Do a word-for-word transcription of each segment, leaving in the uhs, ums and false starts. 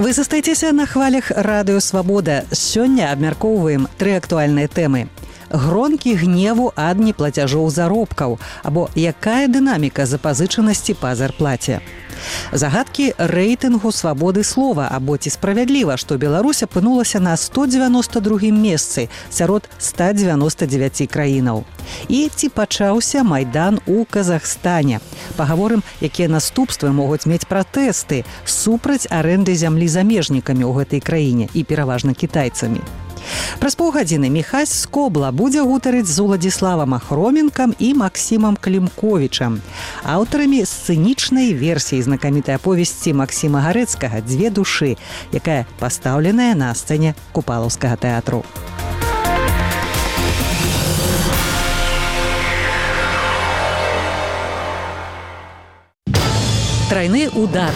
Вы застаецеся на хвалях радыё «Свабода». Сёння абмяркоўваем тры актуальныя тэмы. Гронкі гневу ад неплацяжоў заробкаў, або якая дынаміка запазычанасці па зарплаце. Загадкі рэйтынгу свабоды слова, або ці справядліва, што Беларусь апынулася на сто дзевяноста другім месцы сярод ста дзевяноста дзевяці краінаў. І ці пачаўся майдан у Казахстане. Пагаворым, якія наступствы могуць мець пратэсты супраць арэнды зямлі замежнікамі ў гэтай краіне і пераважна кітайцамі. Праз паўгадзіны Міхась Скобла будзе гутарыць з Уладзіславам Ахроменкам і Максімам Клімковічам, аўтарамі сцэнічнай версіі знакамітай аповесці Максіма Гарэцкага «Дзве душы», якая пастаўленая на сцэне Купалаўскага тэатру. Трайны удар.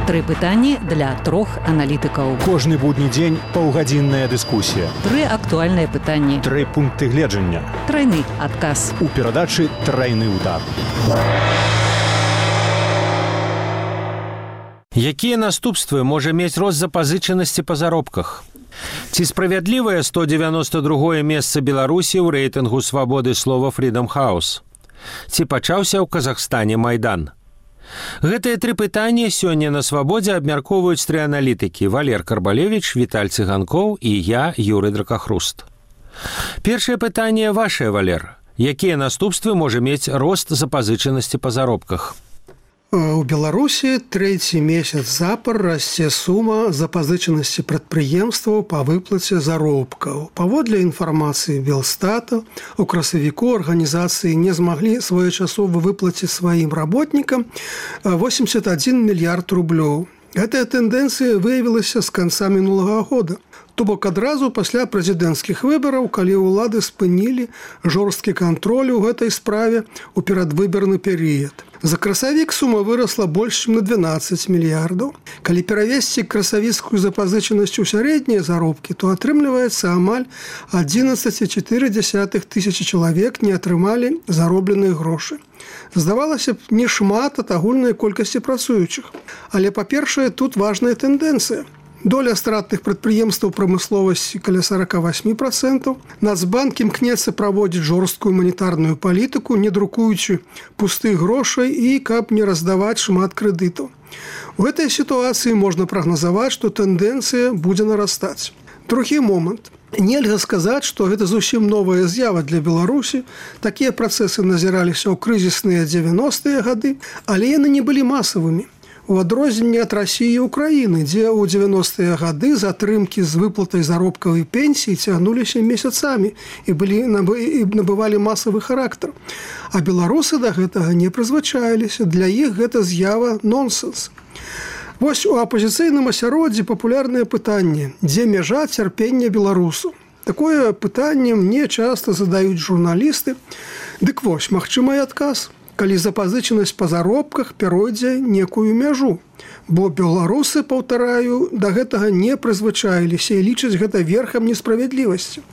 Тры пытанні для трох аналітыкаў. Кожны будні дзень паўгадзінная дыскусія. Тры актуальныя пытанні. Тры пункты гледжання. Трайны адказ. У перадачы «Трайны удар». Якія наступствы можа мець рост запазычанасці па заробках? Ці справядлівае сто дзевяноста другое месца Беларусі ў рэйтынгу свабоды слова Freedom House? Ці пачаўся ў Казахстане майдан? Гэтыя тры пытанні сёння на «Свабодзе» абмяркоўваюць тры аналітыкі: Валер Карбалевіч, Віталь Цыганкоў і я, Юрый Дракахруст. Першае пытанне вашае, Валер. Якія наступствы можа мець рост запазычанасці па заробках? У Беларусі трэці месяц запар расце сума запазычанасці прадпрыемстваў па выплаце заробкаў. Паводле інфармацыі Белстата, у красавіку арганізацыі не змаглі своечасова выплаціць сваім работнікам восемьдесят один мільярд рублёў. Гэтая тэндэнцыя выявілася з канца мінулага года. То бок адразу пасля прэзідэнцкіх выбараў, калі ўлады спынілі жорсткі кантроль у гэтай справе ў перадвыбарны перыяд. За красавік сума вырасла больш, чым на дванаццаць мільярдаў. Калі перавесці красавіцкую запазычанасць у сярэднія заробкі, то атрымліваецца амаль адзінаццаць цэлых чатыры дзесятых тысячы чалавек не атрымалі заробленыя грошы. Здавалася б, не шмат ад агульнай колькасці працуючых. Але, па-першае, тут важная тэндэнцыя. Доля стратных прадпрыемстваў прамысловасці каля сорок восемь процентов. Нацбанк імкнецца праводзіць жорсткую манетарную палітыку, не друкуючы пустых грошай і каб не раздаваць шмат крэдытаў. У гэтай сітуацыі можна прагназаваць, што тэндэнцыя будзе нарастаць. Другі момант. Нельга сказаць, што гэта зусім новая з'ява для Беларусі. Такія працэсы назіраліся ў крызісныя дзевяностыя гады, але яны не былі масавымі. У адрозненне ад Расіі і Украіны, дзе ў дзевяностыя гады затрымкі з выплатай заробкавай пенсіі цягнуліся месяцамі і былі і набывалі масавы характар. А беларусы да гэтага не прызвычаіліся. Для іх гэта з'ява нонсенс. Вось у апазіцыйным асяроддзі папулярнае пытанне: дзе мяжа цярпення беларусу? Такое пытанне мне часта задаюць журналісты. Дык вось, магчымы адказ. Калі запазычанасць па заробках пяройдзе некую мяжу. Бо беларусы, паўтараю, да гэтага не прызвычаіліся і лічаць гэта верхам несправядлівасці.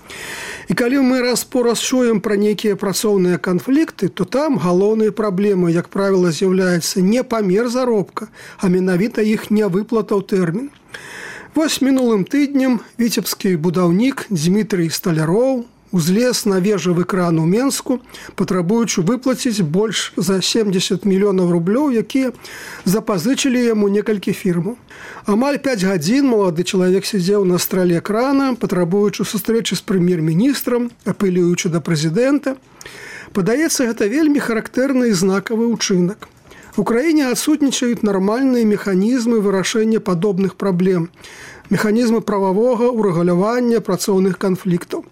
І калі мы раз-пораз чуем пра нейкія працоўныя канфлікты, то там галоўнай праблемай, як правіла, з'яўляецца не памер заробка, а менавіта іх нявыплата ў тэрмін. Вось мінулым тыднем віцебскі будаўнік Дмітрый Сталяроў узлез на вежавы кран у Менску, патрабуючы выплаціць больш за семьдесят мільёнаў рублёў, якія запазычылі яму некалькі фірмаў. Амаль пяць гадзін малады чалавек сядзеў на страле крана, патрабуючы сустрэчы з прэм'ер-міністрам, апелюючы да прэзідэнта. Падаецца, гэта вельмі характэрны і знакавы ўчынак. У краіне адсутнічаюць нармальныя механізмы вырашэння падобных праблем, механізмы прававога ўрэгулявання працоўных канфліктаў.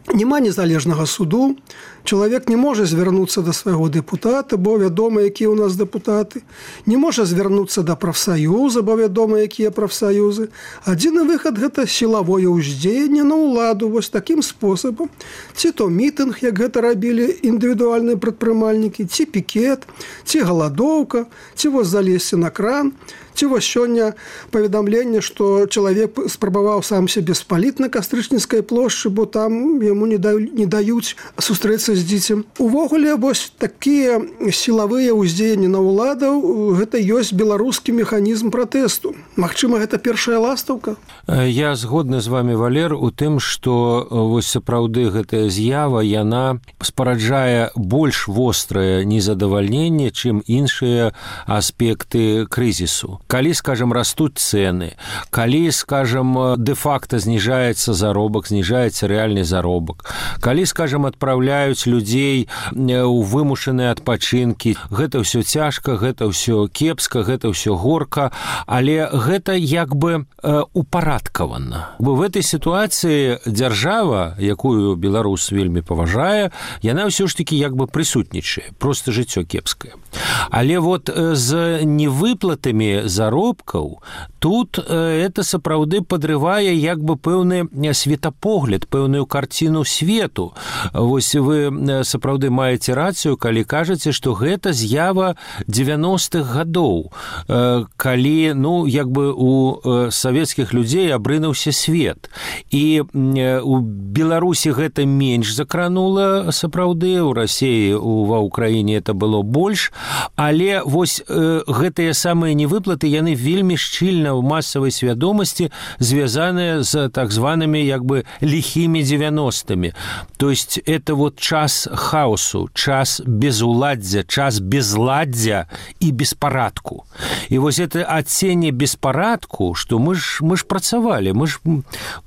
Няма незалежнага суду, чалавек не можа звярнуцца да свайго дэпутата, бо вядома, якія ў нас дэпутаты, не можа звярнуцца да прафсаюза, бо вядома, якія прафсаюзы. Адзіны выхад – гэта сілавое ўздзеянне на ўладу вось такім спосабам. Ці то мітынг, як гэта рабілі індывідуальныя прадпрымальнікі, ці пікет, ці галадоўка, ці вось залезці на кран, Ці вось сёння паведамленне, што чалавек спрабаваў сам сябе спаліць на Кастрычніцкай плошчы, бо там яму не даюць, не даюць сустрэцца з дзіцем. Увогуле, вось такія сілавыя ўздзеянні на ўладаў, гэта ёсць беларускі механізм пратэсту. Магчыма, гэта першая ластаўка? Я згодны з вами, Валер, у тым, што вось сапраўды гэтая з'ява, яна спараджае больш вострае незадавальненне, чым іншыя аспекты крызісу. Калі, скажем, растуць цэны, калі, скажем, дэ-факта зніжаецца заробак, зніжаецца рэальны заробак, калі, скажем, адпраўляюць людзей у вымушаныя адпачынкі, гэта ўсё цяжка, гэта ўсё кепска, гэта ўсё горка, але гэта як бы упарадкавана. Бо в этой сітуацыі дзяржава, якую беларус вельмі паважае, яна ўсё ж такі як бы прысутнічае, просто жыццё кепскае. Але вот з невыплатамі заробкаў тут это сапраўды падрывае як бы пэўны светапогляд, пэўную карціну свету. Вось вы сапраўды маеце рацыю, калі кажаце, што гэта з'ява дзевяностых гадоў, калі, ну, як бы у савецкіх людзей абрынуўся свет. І у Беларусі гэта менш закранула сапраўды, у Расіі, ва Ўкраіне это было больш, але вось э, гэтыя самыя невыплаты, яны вельмі шчыльна ў масавай свядомасці звязаныя з так званымі як бы лихімі дзевяностымі. То есть это вот час хаосу, час безуладдзя, час безладдзя і беспарадку. І вось это адценне беспарадку, што мы ж, мы ж працавалі, мы ж,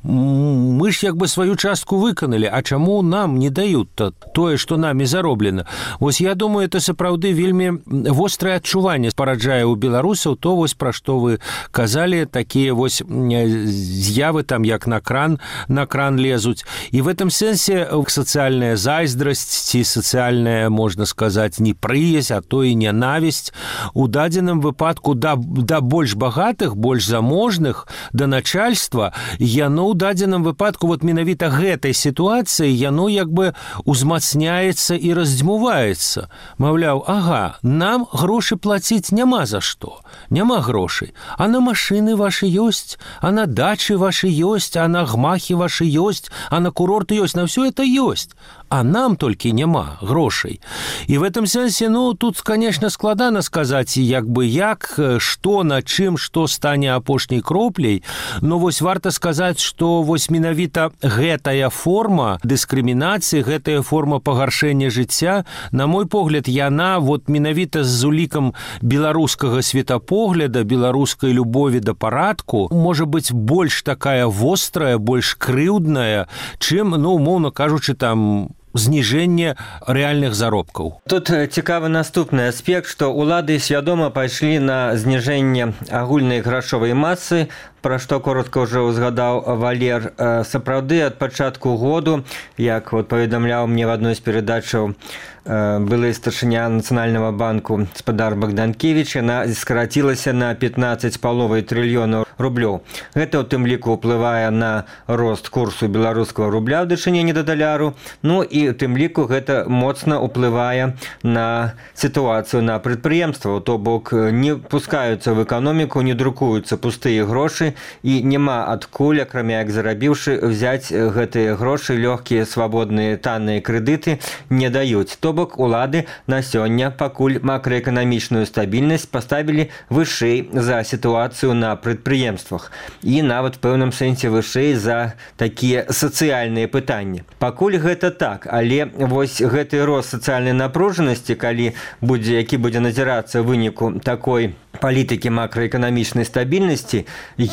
мы ж як бы сваю частку выканалі, а чаму нам не даюць тое, што намі зароблена? Вось я думаю, это сапраўды вельмі вострае адчуванне спараджае ў беларусаў, то вось пра што вы казалі, такія вось з'явы там як на кран, на кран лезуць. І в этом сэнсе сацыяльная зайздрасць ці сацыяльная, можна сказаць, непрыязь, а то і нянавісць у дадзеным выпадку да, да больш багатых, больш заможных, да начальства, яно ў дадзеным выпадку вот менавіта гэтай сітуацыі яно як бы узмацняецца і раздзьмуваецца. Маўляў, ага, нам грошы плаціць няма за што, няма грошай, а на машины ваши ёсць, а на дачы ваши ёсць, а на гмахи ваши ёсць, а на курорты ёсць, на все это ёсць. А нам толькі няма грошай. І в этом сэнсе, ну, тут, конечно, складана сказаць, як бы як, што, на чым, што стане апошняй кропляй, но вось варта сказаць, што вось менавіта гэтая форма дыскрымінацыі, гэтая форма пагаршэння жыцця, на мой погляд, яна вот менавіта з улікам беларускага светапогляда, беларускай любові да парадку, можа быць больш такая вострая, больш крыўдная, чым, ну, умоўна кажучы, там, зніжэнне рэальных заробкаў. Тут цікавы наступны аспект, што ўлады свядома пайшлі на зніжэнне агульнай грашовай масы, пра што коротка ўжо узгадаў Валер. Сапраўды ад пачатку году, як вот паведамляў мне в адной з перадачаў былы старшыня Нацыянальнага банку гаспадар Богданкевич, яна скарацілася на пятнаццаць з паловай трыльёнаў рублёў. Гэта ў тым ліку ўплывае на рост курсу беларускага рубля ў дачыненні да даляру, ну і у тым ліку гэта моцна ўплывае на сітуацыю на прадпрыемствах, то бок не пускаюцца в эканоміку, не друкуюцца пустыя грошы і няма адкуль, акрамя як зарабіўшы, взяць гэтыя грошы, лёгкія, свабодныя, танныя крэдыты не даюць. То бок улады на сёння пакуль макраэканамічную стабільнасць паставілі вышэй за сітуацыю на прадпрыемствах і нават в пэўным сэнсе вышэй за такія сацыяльныя пытанні. Пакуль гэта так, але вось гэты рост сацыяльнай напружанасці, калі будзе, які будзе назірацца ў выніку такой палітыкі макраэканамічнай стабільнасці,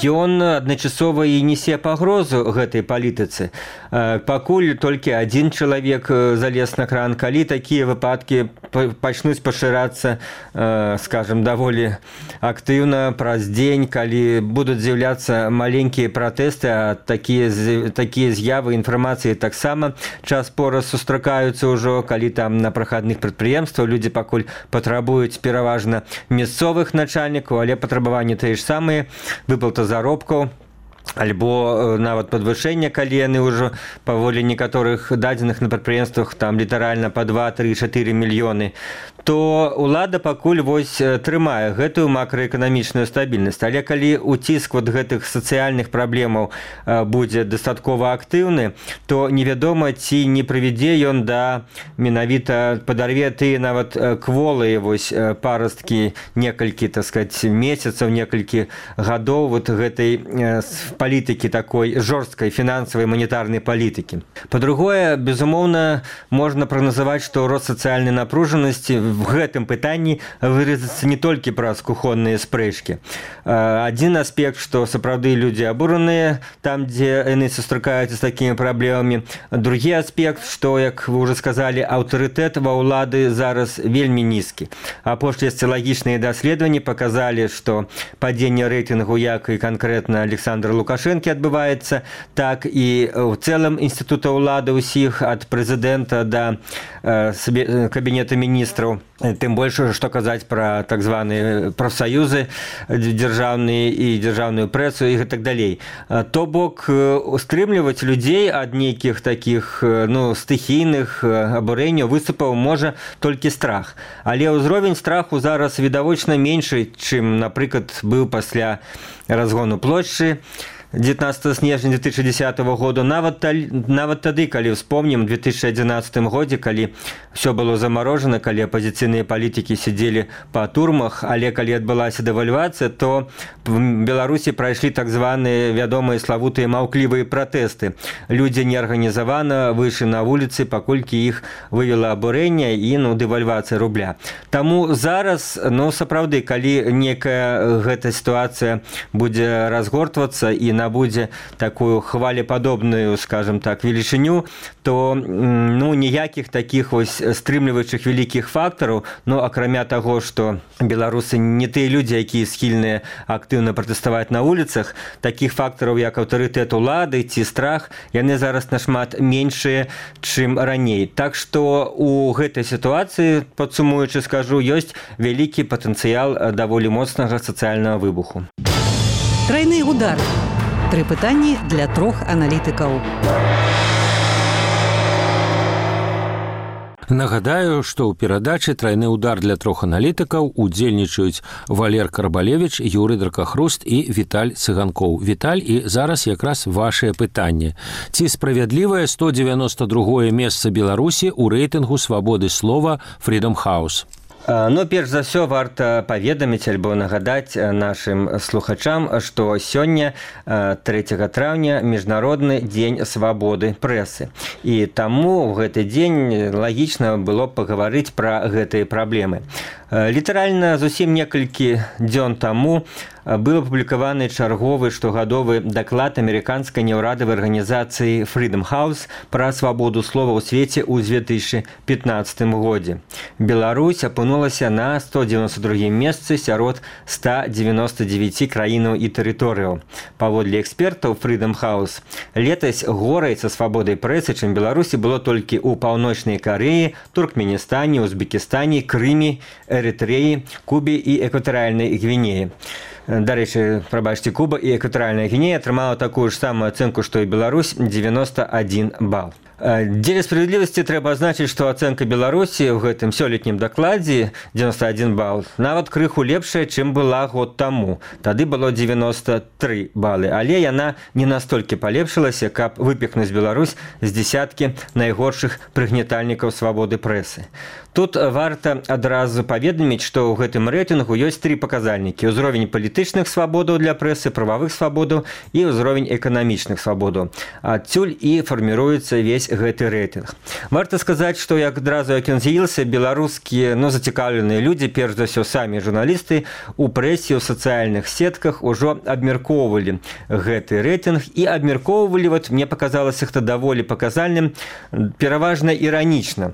ён адначасова і несе пагрозу гэтай палітыцы. Пакуль толькі адзін чалавек залез на кран, калі такія выпадкі пачнуць пашырацца, скажем, даволі актыўна праз дзень, калі будуць з'яўляцца маленькія пратэсты, а такія, такія з'явы інфармацыі таксама час пораз сустракаюцца ўжо, калі там на прахадных прадпрыемствах людзі пакуль патрабуюць пераважна мясцовых начальнікаў, але патрабаванні тыя ж самыя, выплата заробкаў, альбо нават падвышэнне, калі яны ўжо паволі некаторых дадзеных на прадпрыемствах там літаральна па два, тры, чатыры мільёны, то ўлада пакуль вось трымае гэтую макраэканамічную стабільнасць. Але калі уціск вот гэтых сацыяльных праблемаў будзе дастаткова актыўны, то невядома, ці не прывядзе ён да менавіта падарве тыя нават кволыя вось парасткі некалькі, так сказать, месяцаў, некалькі гадоў вот гэтай палітыкі такой жорсткай фінансавай манетарнай палітыкі. Па-другое, безумоўна, можна прагназаваць, што рост сацыяльнай напружанасці в гэтым пытанні выразіцца не толькі праз кухонныя спрэчкі. Адзін аспект, што сапраўды людзі абураныя там, дзе яны сустракаюцца з такімі праблемамі. Другі аспект, што, як вы ўжо сказалі, аўтарытэт ва ўлады зараз вельмі нізкі. Апошнія сацыялагічныя даследаванні паказалі, што падзенне рэйтынгу як і канкрэтна Александра Лукашэнкі адбываецца, так і ў цэлым інстытута ўлады ўсіх ад прэзідэнта да э, кабінета міністраў. Тым больш, што казаць пра так званыя прафсаюзы дзяржаўныя і дзяржаўную прэсу і так далей. То бок, устрымліваць людзей ад нейкіх такіх ну, стыхійных абурэнняў, выступаў можа толькі страх. Але ўзровень страху зараз відавочна меншы, чым, напрыклад, быў пасля разгону плошчы дзевятнадцатага снежня две тысячи десятого года, нават, нават тады, калі вспомнім две тысячи одиннадцатым годзе, калі все было замарожана, калі апозіцыйныя палітыкі сидзелі па турмах, але калі адбылася дэвальвацыя, то в Беларусі прайшлі так званыя вядомыя славутыя маўклівыя пратэсты. Людзі неарганізавана выйшлі на вуліцы, паколькі іх вывела абурэнне і ну, дэвальвацыя рубля. Таму зараз, ну сапраўды, калі некая гэта сітуацыя будзе разгортвацца і набудзе такую хвалепадобную, скажем так, велічыню, то ну, ніякіх такіх вось стрымліваючых вялікіх фактараў, ну, акрамя таго, што беларусы не тыя людзі, якія схільныя актыўна пратэставаць на вуліцах, такіх фактараў, як аўтарытэт улады ці страх, яны зараз нашмат меншыя, чым раней. Так што у гэтай сітуацыі, падсумуючы скажу, ёсць вялікі патэнцыял даволі моцнага сацыяльнага выбуху. Трайны удар. Тры пытанні для трох аналітыкаў. Нагадаю, што ў перадачы «Трайны удар» для трох аналітыкаў удзельнічаюць Валер Карбалевіч, Юрый Дракахруст і Віталь Цыганкоў. Віталь, і зараз якраз вашае пытанне. Ці справядлівае сто девяносто другое месца Беларусі ў рэйтынгу свабоды слова Freedom House? Ну, перш за ўсё, варта паведаміць альбо нагадаць нашым слухачам, што сёння, трэцяга траўня, міжнародны дзень свабоды прэсы. І таму ў гэты дзень лагічна было пагаварыць пра гэтыя праблемы. Літаральна зусім некалькі дзён таму быў апублікаваны чарговы штогадовы даклад амерыканскай неўрадавай арганізацыі Freedom House пра свабоду слова ў свеце ў две тысячи пятнадцатым годзе. Беларусь апынулася на сто девяносто другім месцы сярод ста девяноста девяти краінаў і тэрыторыяў. Паводле экспертаў Freedom House, летась горай са свабодай прэсы, чым Беларусі было толькі ў Паўночнай Карэі, Туркменістане, Узбекістане, Крыме, Эрытрэі, Кубе і Экватарыяльнай Гвінеі. Дарэчы, прабачце, Куба і Экватарыяльная Гвінея атрымала такую ж самую ацэнку, што і Беларусь, девяносто один бал. Дзеля справядлівасці трэба азначыць, што ацэнка Беларусі ў гэтым сёлетнім дакладзе девяносто один бал нават крыху лепшая, чым была год таму. Тады было девяносто три балы, але яна не настолькі палепшылася, каб выпіхнуць Беларусь з дзесяткі найгоршых прыгнятальнікаў свабоды прэсы. Тут варта адразу паведаміць, што ў гэтым рэйтынгу ёсць тры паказальнікі: ўзровень палітычных свабодаў для прэсы, прававых свабодаў і ўзровень эканамічных свабодаў. Адсюль і фарміруецца весь гэты рэйтынг. Варта сказаць, што як адразу як ён з'явіўся, беларускія ну, зацікаўленыя людзі, перш за ўсё самі журналісты, у прэсе, у сацыяльных сетках ужо абмяркоўвалі гэты рэйтынг і абмяркоўвалі, вот, мне паказалася гэта даволі паказальным, пераважна іранічна.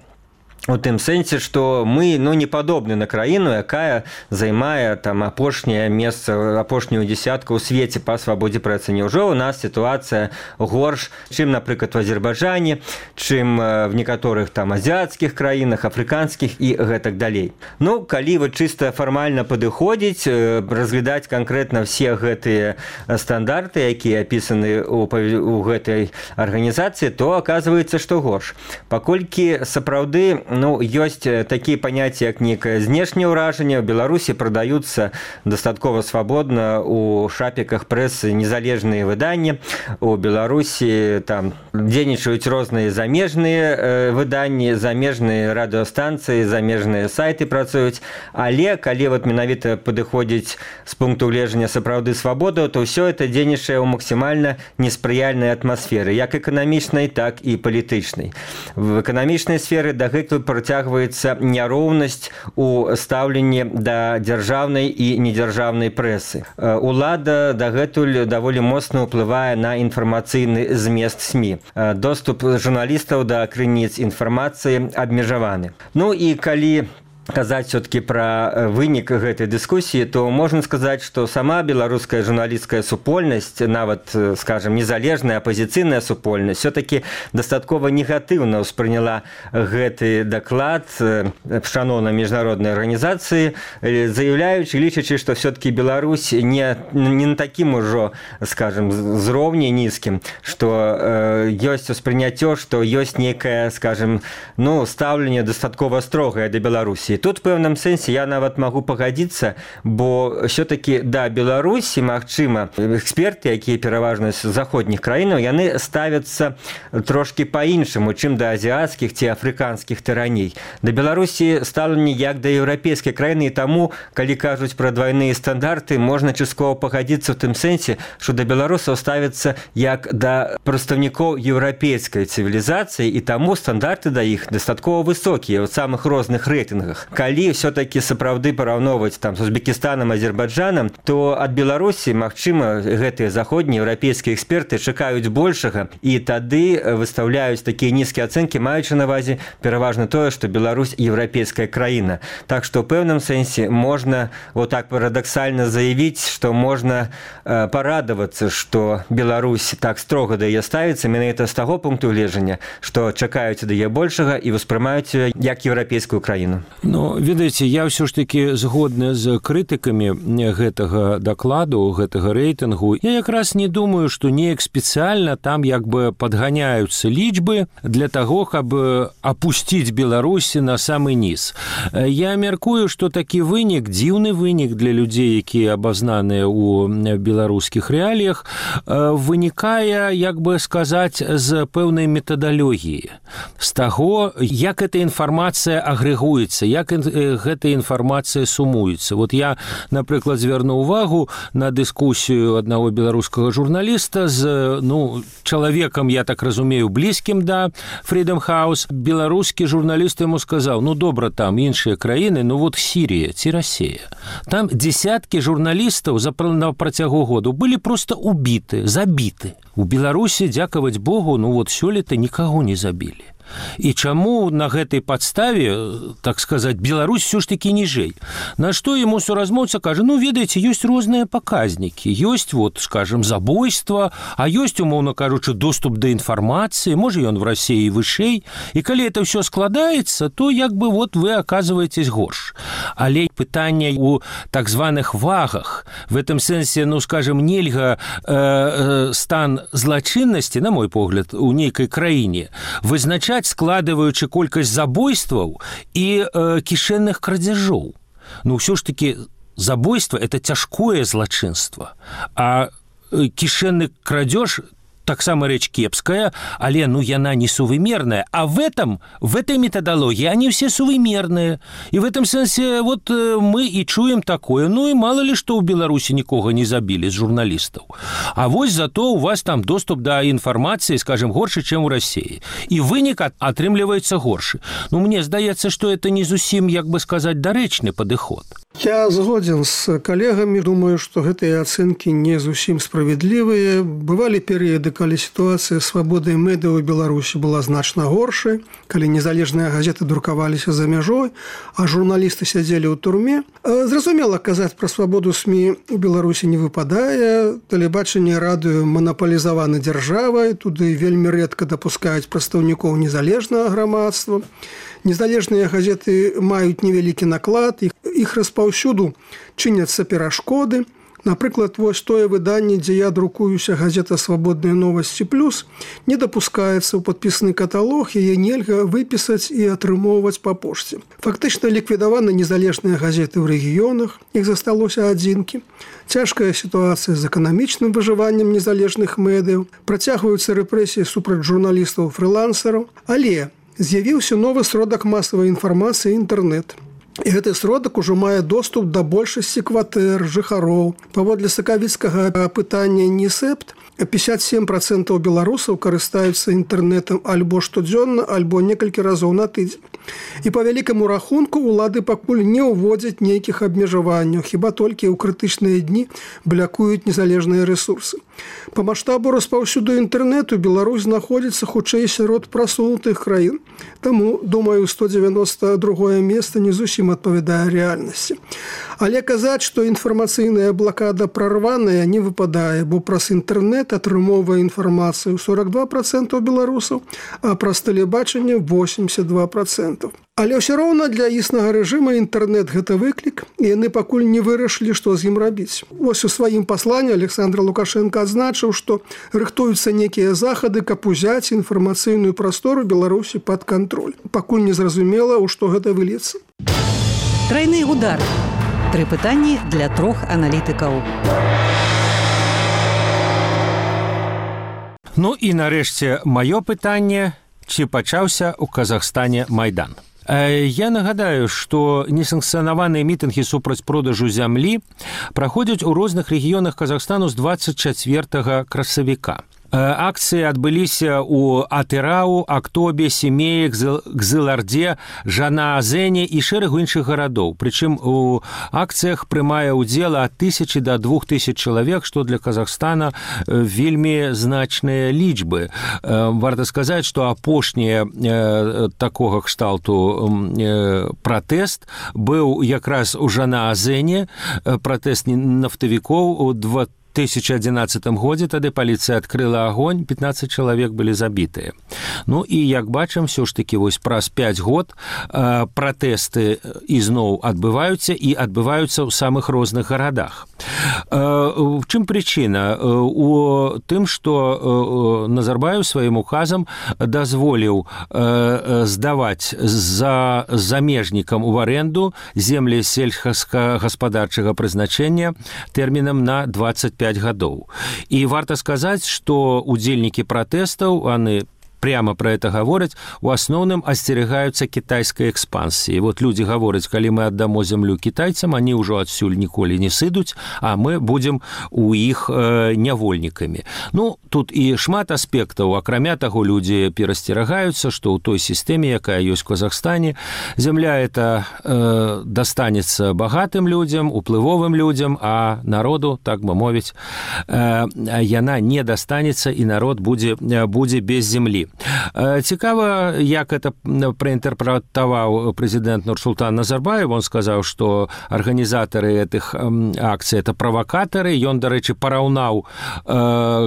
У тым сэнсе, што мы ну, не падобны на краіну, якая займае там апошняе месца, апошнюю дзесятку ў свеце па свабодзе прэсы. Няўжо у нас сітуацыя горш, чым, напрыклад, у Азербайджане, чым в некаторых там азіяцкіх краінах, афрыканскіх і гэтак далей. Ну, калі вот чыста фармальна падыходзіць, разглядаць канкрэтна все гэтыя стандарты, якія апісаны ў, у гэтай арганізацыі, то аказваецца, што горш. Паколькі сапраўды ну, ёсць такія паняцці, як нейкае знешняе ўражанне. У Беларусі прадаюцца дастаткова свабодна у шапіках прэсы незалежныя выданні. У Беларусі там дзейнічаюць розныя замежныя выданні, замежныя радыёстанцыі, замежныя сайты працуюць. Але калі вот менавіта падыходзіць з пункту гледжання сапраўды свабоду, то ўсё это дзейнічае ў максімальна неспрыяльнай атмасферы, як эканамічнай, так і палітычнай. В эканамічнай сферы дагэтуль працягваецца няроўнасць у стаўленні да дзяржаўнай і недзяржаўнай прэсы. Улада дагэтуль даволі моцна ўплывае на інфармацыйны змест СМІ. Доступ журналістаў да крыніц інфармацыі абмежаваны. Ну і калі казаць все-таки пра вынік гэтай дыскусіі, то можна сказаць, што сама беларуская журналісцкая супольнасць, нават, скажем, незалежная апазіцыйная супольнасць, все-таки дастаткова негатыўна ўспрыняла гэты даклад шаноўнай міжнароднай арганізацыі, заяўляючы, лічачы, што все-таки Беларусь не, не на такім ужо, скажем, зроўні нізкім, што э, ёсць успрыняццё, што ёсць нейкае, скажем, ну, стаўленне дастаткова строгае да Беларусі. Тут в пэўным сэнсе я нават магу пагадзіцца, бо все-таки да Беларусі, магчыма, эксперты, якія пераважна з заходніх краінаў, яны ставяцца трошки па-іншаму, чым да азіацкіх ці афрыканскіх тыраней. Да Беларусі стаўленне як да еўрапейскай краіны, і таму, калі кажуць пра двайныя стандарты, можна часткова пагадзіцца ў тым сэнсе, што да беларусаў ставяцца як да прадстаўнікоў еўрапейскай цывілізацыі, і таму стандарты да іх дастаткова высокія ў самых розных рэйтынгах. Калі все-таки сапраўды параўноўваць там з Узбекістанам, Азербайджанам, то ад Беларусі, магчыма, гэтыя заходнія еўрапейскія эксперты чакаюць большага, і тады выстаўляюць такія нізкія ацэнкі, маючы на ўвазе пераважна тое, што Беларусь еўрапейская краіна. Так што ў пэўным сэнсе можна вот так парадаксальна заявіць, што можна э, парадавацца, што Беларусь так строга да яе ставіцца, менавіта з таго пункту гледжання, што чакаюць да яе большага і ўспрымаюць як еўрапейскую краіну. Ну, ведаеце, я ўсё ж такі згодны з крытыкамі гэтага дакладу, гэтага рэйтынгу. Я якраз не думаю, што неяк спецыяльна там як бы падганяюцца лічбы для таго, каб апусціць Беларусі на самы низ. Я мяркую, што такі вынік, дзіўны вынік для людзей, якія абазнаныя ў беларускіх рэаліях, вынікае, як бы сказаць, з пэўнай метадалогіі, з таго, як эта інфармацыя агрэгуецца, як гэтая інфармацыя сумуецца. Вот я, напрыклад, звярну ўвагу на дыскусію аднаго беларускага журналіста з, ну, чалавекам, я так разумею, блізкім да Freedom House. Беларускі журналіст яму сказаў: ну, добра, там іншыя краіны, ну, вот Сірія ці Расія. Там десяткі журналістаў за на працягу году былі просто убіты, забіты. У Беларусі, дзякаваць Богу, ну, вот сёлета нікаго не забілі. І чаму на гэтай падставе, так сказаць, Беларусь все ж таки ніжэй? На што яму суразмоўца кажа: ну, ведаеце, ёсць розныя паказнікі, ёсць, вот, скажем, забойства, а ёсць, умоўна кажучы, доступ да інфармацыі, можа, ён в Расіі вышэй, і калі это все складаецца, то як бы вот вы аказваетесь горш. Але пытанне у так званых вагах, в этом сэнсе, ну, скажем, нельга э, стан злачыннасці, на мой погляд, у нейкай краіне вызначаць, складываючы колькасць забойстваў і э, кішэнных крадзяжоў. Ну, ўсё ж таки, забойство – это цяжкое злачынства, а э, кішэнны крадзеж – таксама рэч кепская, але, ну, яна не сувымерная. А в этом, в этой методологии они все сувымерные. И в этом сенсе вот мы и чуем такое. Ну, и мало ли, что у Беларуси никого не забили з журналистов. А вось зато у вас там доступ до информации, скажем, горше, чем у России. И вынік атрымліваецца горше. Ну, мне здаецца, что это не зусім, як бы сказать, дарэчны падыход. Я згоден з калегамі, думаю, што гэтыя ацэнкі не зусім справядлівыя. Бывалі перыяды, калі сітуацыя свабоды медыа ў Беларусі была значна горшай, калі незалежныя газеты друкаваліся за мяжой, а журналісты сядзелі ў турме. Зразумела, казаць пра свабоду СМІ у Беларусі не выпадае. Тэлебачанне, радыё манапалізаваны дзяржавай, туды вельмі рэдка дапускаюць прадстаўнікоў незалежнага грамадства. Незалежныя газеты маюць невялікі наклад, іх, іх распаўсюду чыняцца перашкоды. Напрыклад, вось тое выданне, дзе я друкуюся, газета «Свабодныя новасці плюс», не дапускаецца ў падпісаны каталог, яе нельга выпісаць і атрымоўваць па пошце. Фактычна ліквідаваны незалежныя газеты ў рэгіёнах, іх засталося адзінкі. Цяжкая сітуацыя з эканамічным выжываннем незалежных медыяў, працягваюцца рэпрэсіі супраць журналістаў-фрылансераў, але з'явіўся новы сродак масавай інфармацыі – інтэрнэт. І гэты сродак ужо мае доступ да большасці кватэр, жыхароў. Паводле сакавіцкага апытання «Нісепт», пятьдесят семь процентов беларусаў карыстаюцца інтэрнэтам альбо штодзённа, альбо некалькі разоў на тыдзень. І па вялікаму рахунку улады пакуль не ўводзяць нейкіх абмежаванняў, хіба толькі ў крытычныя дні блякуюць незалежныя рэсурсы. Па маштабу распаўсюду інтэрнэту Беларусь знаходзіцца хутчэй сярод прасунутых краін. Таму, думаю, сто девяносто другое месца не зусім адпавядае рэальнасці. Але казаць, што інфармацыйная блакада прарваная, не выпадае, бо праз інтэрнэт атрымоўвае інфармацыю сорок два проценты беларусаў, а праз тэлебачанне восемьдесят два процента. Але ўсё роўна для існага рэжыма інтэрнэт – гэта выклік, і яны пакуль не вырашылі, што з ім рабіць. Вось у сваім пасланні Александр Лукашенко адзначыў, што рыхтуюцца некія захады, каб узяць інфармацыйную прастору Беларусі пад кантроль. Пакуль не зразумела, у што гэта выльецца. Трайны удар. Тры пытанні для трох аналітыкаў. Ну і нарэшце маё пытанне, ці пачаўся ў Казахстане Майдан. Я нагадаю, што несанкцыянаваныя мітынгі супраць продажу зямлі праходзяць у розных рэгіёнах Казахстану з двадцать чацвёртага красавіка. Акцыі адбыліся ў Атырау, Актобе, Семеі, Кзыларде, Жанаазэне і шэрагу іншых гарадоў. Прычым у акцыях прымае ўдзел ад тысячы да двух тысяч чалавек, што для Казахстана вельмі значныя лічбы. Варта сказаць, што апошнія такога кшталту пратэст быў якраз у Жанаазэне, пратэст нафтавікоў у двадцать тысяча адзінаццатым годзе, тады паліцыя адкрыла агонь, пятнадцать чалавек былі забітыя. Ну і як бачым, ўсё ж такі вось праз пяць год э, пратэсты ізноў адбываюцца і адбываюцца ў самых розных гарадах. Э, в чым прычына? У тым, што э, Назарбаев сваім указам дазволіў э, здаваць за замежнікам у аренду землі сельскагаспадарчага прызначэння тэрмінам на двадцать пять гадоў. І варта сказаць, што удзельнікі пратэстаў, яны прямо про это говорят, у асноўным асцерагаюцца кітайскай экспансіі. Вот людзі гавораць, калі мы аддамо зямлю кітайцам, они ўжо адсюль ніколі не сыдуць, а мы будзем у іх э, нявольнікамі. Ну, тут і шмат аспектаў. Акрамя таго, людзі перасцерагаюцца, што ў той сістэме, якая ёсць в Казахстане, зямля это э, дастанецца багатым людзям, уплывовым людзям, а народу, так бы мовіць, э, яна не дастанецца, і народ будзе, будзе без землі. Цікава, як это праінтэрпрэтаваў прэзідэнт Нурсултан Назарбаев. Он сказаў, што арганізатары этих акцый это правакатары. Ён, дарэчы, параўнаў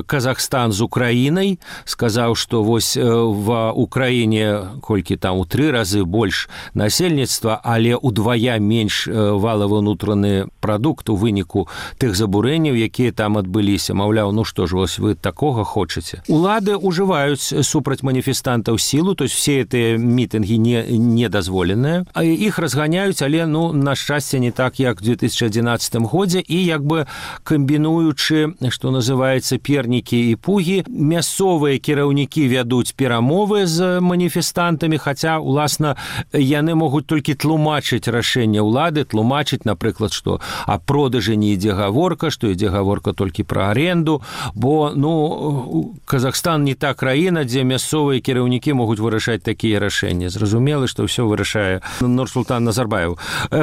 Казахстан з Украінай, сказаў, што вось в Украіне колькі там у тры разы больш насельніцтва, але удвая менш валавы ўнутраны прадукт у выніку тых забурэнняў, якія там адбыліся. Маўляў, ну што ж, вось вы такога хочаце. Улады ўжываюць супраць манифестантаў силу, то есть все эти митинги не, не дозволенные, а их разгоняют, але, ну, на счастье, не так, як в две тысячи одиннадцатым году, и як бы комбинуючи, что называется, перники и пуги, мясцовые кіраўнікі вядуць перамовы з манифестантами, хотя, уласна, яны могут только тлумачыць рашэнне улады, тлумачыць, напрыклад, что о продаже не ідзе гаворка, что ідзе гаворка только про аренду, бо, ну, Казахстан не та краіна, дзе мясцовыя кіраўнікі могуць вырашаць такія рашэнні. Зразумела, што ўсё вырашае Нурсултан Назарбаев.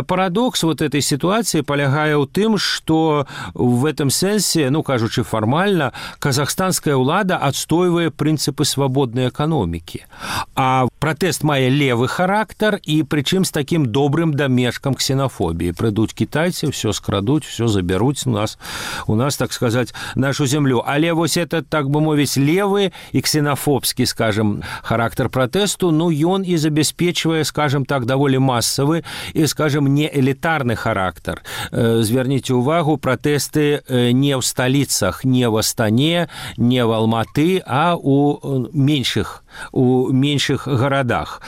Парадокс вот этой ситуации полягае ў тым, што в этом сэнсе, ну, кажучы фармальна, казахстанская ўлада адстойвае прынцыпы свабоднай эканомікі. А пратэст мае левы характар, і прычым з такім добрым дамешкам ксенофобіі. Прыйдуць кітайцы, ўсё скрадуць, ўсё забяруць у нас, у нас, так сказаць, нашу зямлю. Але вось это, так бы мовіць, левы і ксенофобскі такі, скажем, характар пратэсту, ну, ён і забяспечвае, скажем так, даволі масавы і, скажем, не элітарны характар. Зверніце ўвагу, пратэсты не ў сталіцах, не в Астане, не в Алматы, а у меншых у меншых гарадах.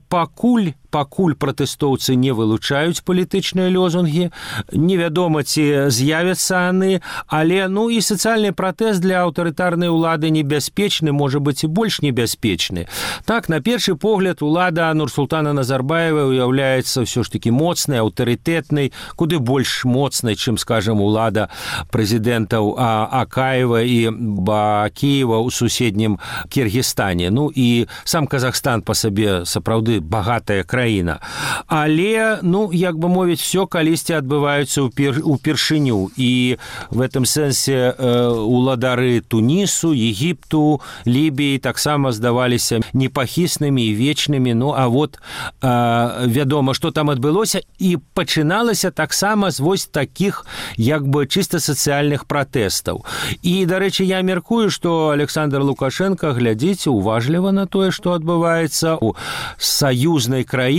Пакуль пакуль пратэстоўцы не вылучаюць палітычныя лозунгі, невядома, ці з'явяцца яны, але ну і сацыяльны пратэст для аўтарытарнай улады небяспечны, можа быць і больш небяспечны. Так, на першы погляд, улада Нурсултана Назарбаева уяўляецца ўсё ж такі моцнай, аўтарытэтнай, куды больш моцнай, чым, скажем, улада прэзідэнтаў Акаева і Бакіева ў суседнім Кіргізстане. Ну і сам Казахстан па сабе сапраўды багатая краіна. Але, ну, як бы мовіць, все калісьці адбываюцца ўпершыню. І в этом сэнсе уладары Тунісу, Егіпту, Лібіі таксама здаваліся непахіснымі і вечнымі. Ну, а вот вядома, што там адбылося, і пачыналася таксама з вось такіх, як бы, чыста сацыяльных пратэстаў. І, дарэчы, я меркую, што Александр Лукашенко, глядзіце уважліва на тое, што адбываецца у саюзнай краіне,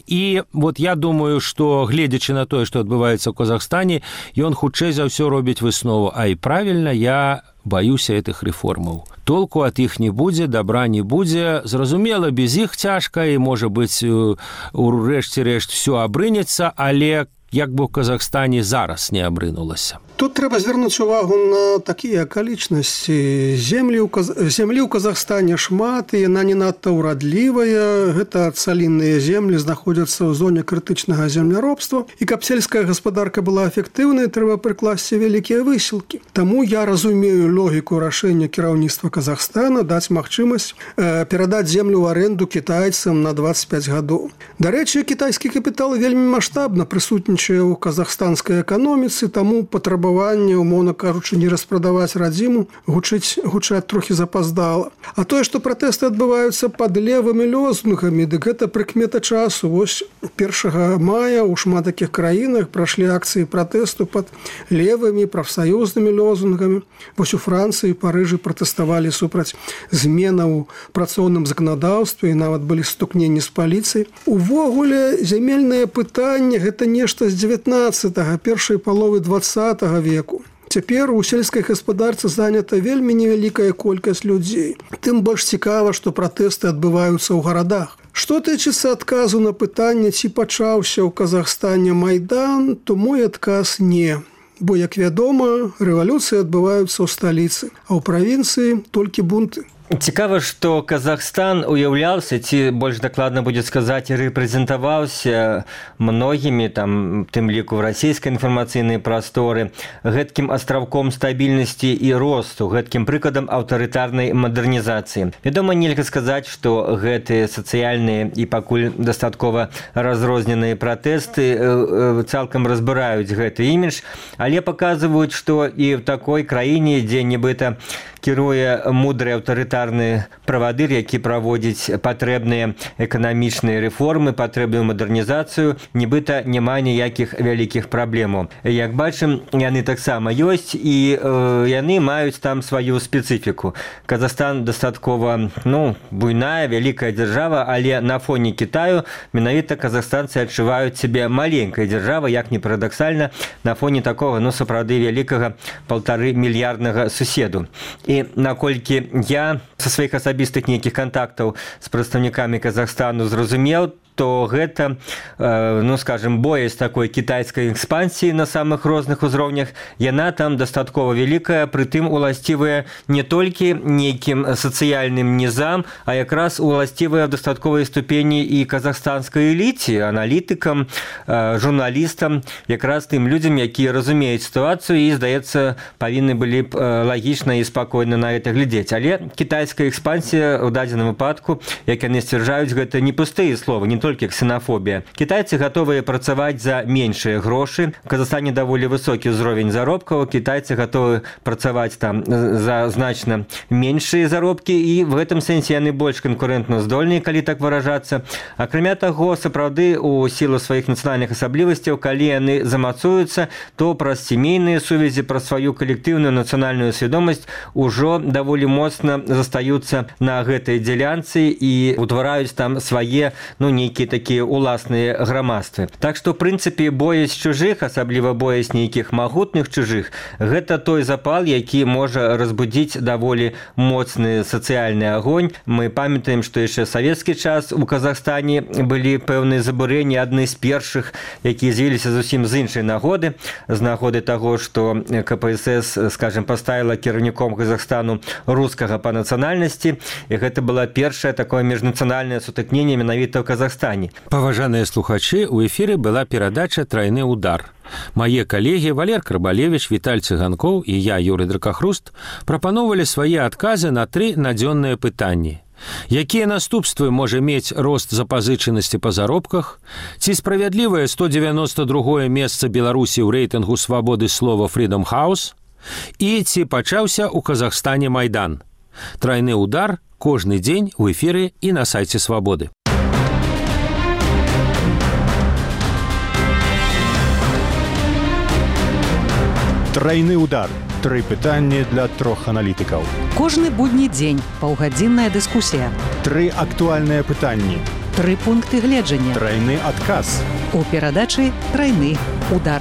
і вот я думаю, што, гледзячы на тое, што адбываецца ў Казахстане, ён хутчэй за ўсё робіць выснову. А і правільна, я баюся гэтых рэформаў. Толку ад іх не будзе, добра не будзе. Зразумела, без іх цяжка, і, можа быць, урэшце рэшт все абрынецца, але як бы ў Казахстане зараз не абрынулася. Тут трэба звярнуць увагу на такія акалічнасці. Землі ў, Каз... Землі ў Казахстане шмат, і яна не надта ўрадлівая. Гэта цалінныя землі знаходзяцца ў зоне крытычнага земляробства. І каб сельская гаспадарка была эфектыўнай, трэба прыкласці вялікія высілкі. Таму я разумею логіку рашэння кіраўніцтва Казахстана даць магчымасць э, перадаць землю ў аренду кітайцам на дваццаць пяць гадоў. Дарэчы, кітайскі капітал вельмі маштабна прысутнічае ў казахстанскай эканоміцы, таму патрабаванне, умоўна кажучы, не распрадаваць радзіму гучыць гучаць трохі запаздала. А тое, што пратэсты адбываюцца пад левымі лозунгамі, дык гэта прыкмета часу. Вось першага мая ў шмат такіх краінах прайшлі акцыі пратэсту пад левымі прафсаюзнымі лозунгамі. Вось у Францыі, Парыжы пратэставалі супраць зменаў у працоўным заканадаўстве, і нават былі стукненні з паліцыяй. Увогуле, зямельнае пытанне гэта нешта з дзевятнаццатага, першай паловы дваццатага веку. Цяпер у сельскай гаспадарцы занята вельмі невялікая колькасць людзей. Тым больш цікава, што пратэсты адбываюцца ў гарадах. Што тычыцца адказу на пытанне, ці пачаўся ў Казахстане Майдан, то мой адказ не. Бо, як вядома, рэвалюцыі адбываюцца ў сталіцы, а ў правінцыі толькі бунты. Цікава, што Казахстан уяўляўся, ці больш дакладна будзе сказаць, рэпрэзентаваўся многімі, там, тым ліку в расійскай інфармацыйнай прасторы, гэткім астраўком стабільнасці і росту, гэткім прыкладам аўтарытарнай мадэрнізацыі. Вядома, нельга сказаць, што гэтыя сацыяльныя і пакуль дастаткова разрозненыя пратэсты цалкам разбіраюць гэты імідж, але паказваюць, што і ў такой краіне, дзе нібыта кіруе мудры аўтарытарны правадыр, які праводзіць патрэбныя эканамічныя рэформы, патрэбную мадэрнізацыю, нібыта няма ніякіх вялікіх праблемаў. Як бачым, яны таксама ёсць, і э, яны маюць там сваю спецыфіку. Казахстан дастаткова, ну, буйная, вялікая дзяржава, але на фоне Кітаю менавіта казахстанцы адчуваюць сябе маленькай дзяржавай, як не парадаксальна, на фоне такога, ну, сапраўды вялікага паўтары мільярднага суседу. І наколькі я са сваіх асабістых нейкіх кантактаў з прадстаўнікамі Казахстану зразумеў, то гэта, ну, скажем, боязь такой кітайскай экспансіі на самых розных узроўнях, яна там дастаткова вялікая, прытым уласцівая не толькі нейкім сацыяльным нізам, а якраз уласцівая в дастатковай ступені і казахстанскай эліце, аналітыкам, журналістам, якраз тым людзям, якія разумеюць сітуацыю і, здаецца, павінны былі б лагічна і спакойна на гэта глядзець. Але кітайская экспансія ў дадзеным выпадку, як яны сцвярджаюць, гэта не пустыя словы, не толькі ксенафобія. Кітайцы гатовыя працаваць за меншыя грошы. У Казахстане даволі высокі ўзровень заробкаў, кітайцы гатовы працаваць там за значна меншыя заробкі, і в гэтым сэнсе яны больш канкурэнтна здольныя, калі так выражацца. Акрамя таго, сапраўды, у сілу сваіх нацыянальных асаблівасцяў, калі яны замацуюцца, то праз сямейныя сувязі, праз сваю калектыўную нацыянальную свядомасць ужо даволі моцна застаюцца застаюцца на гэтай дзялянцы і утвараюць там свае, ну, нейкія такія уласныя грамадствы. Так што, в прынцыпе, боязь чужых, асабліва боязь нейкіх магутных чужых, гэта той запал, які можа разбудзіць даволі моцны сацыяльны агонь. Мы памятаем, што яшчэ савецкі час у Казахстане былі пэўныя забурэнні, адны з першых, якія з'явіліся зусім з іншай нагоды, з нагоды таго, што ка пэ эс эс, скажем, паставіла кіраўніком Казахстану рускага па нацыянальнасці, і гэта была першае такое міжнацыянальнае сутыкненне менавіта ў Казахстане. Паважаныя слухачы, у эфіры была перадача «Трайны удар». Мае калегі Валер Крабалевіч, Віталь Цыганкоў і я, Юрый Дракахруст, прапаноўвалі свае адказы на тры надзённыя пытанні. Якія наступствы можа мець рост запазычанасці па заробках? Ці справядлівае сто дзевяносто другое месца Беларусі ў рэйтынгу свабоды слова Freedom House? І ці пачаўся ў Казахстане Майдан? Трайны удар кожны дзень у эфіры і на сайце Свабоды. Трайны удар. Тры пытанні для трох аналітыкаў. Кожны будні дзень паўгадзінная дыскусія. Тры актуальныя пытанні. Тры пункты гледжання. Трайны адказ. У перадачы «Трайны удар».